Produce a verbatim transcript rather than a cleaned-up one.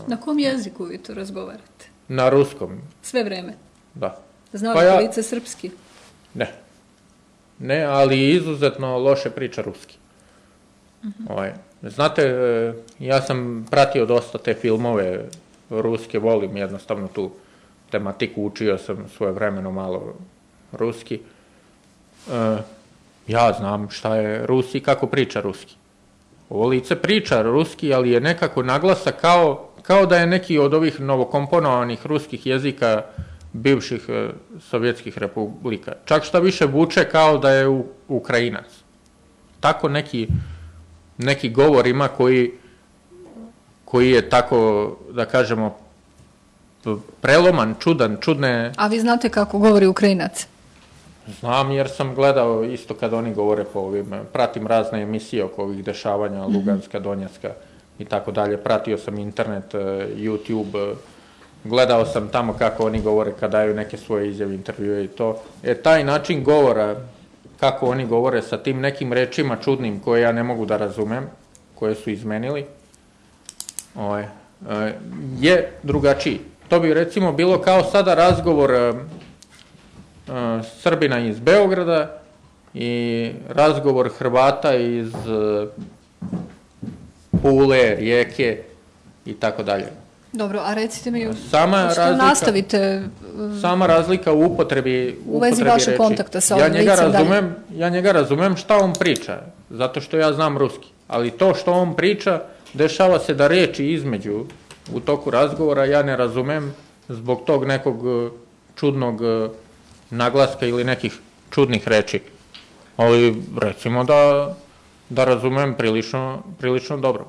Na kom jeziku vi to razgovarate? Na ruskom. Sve vreme? Da. Zna li kolice srpski? Ne. Ne, ali izuzetno loše priča ruski. Znate, ja sam pratio dosta te filmove ruske, volim jednostavno tu tematiku, učio sam svoje vremeno malo ruski. Ja znam šta je Rusi i kako priča ruski. Ovo lice priča ruski, ali je nekako naglasa kao da je neki od ovih novokomponovanih ruskih jezika bivših sovjetskih republika. Čak šta više vuče kao da je Ukrajinac. Tako neki neki govor ima koji je tako, da kažemo, preloman, čudan, čudne... A vi znate kako govori Ukrajinac? Znam, jer sam gledao isto kad oni govore po ovim, pratim razne emisije oko ovih dešavanja, Luganska, Donjecka i tako dalje. Pratio sam internet, YouTube, gledao sam tamo kako oni govore kad daju neke svoje izjave, intervjue i to. E, taj način govora, kako oni govore sa tim nekim rečima čudnim koje ja ne mogu da razumem, koje su izmenili, je drugačiji. To bi recimo bilo kao sada razgovor Srbina iz Beograda i razgovor Hrvata iz Pule, Rijeke i tako dalje. Dobro, a recite mi, što nastavite... Sama razlika u upotrebi u vezi vašeg kontakta sa ovim licem dalje. Ja njega razumem šta on priča, zato što ja znam ruski, ali to što on priča, dešava se da reči između u toku razgovora ja ne razumem zbog tog nekog čudnog naglaska ili nekih čudnih reči. Ali recimo da razumem prilično dobro.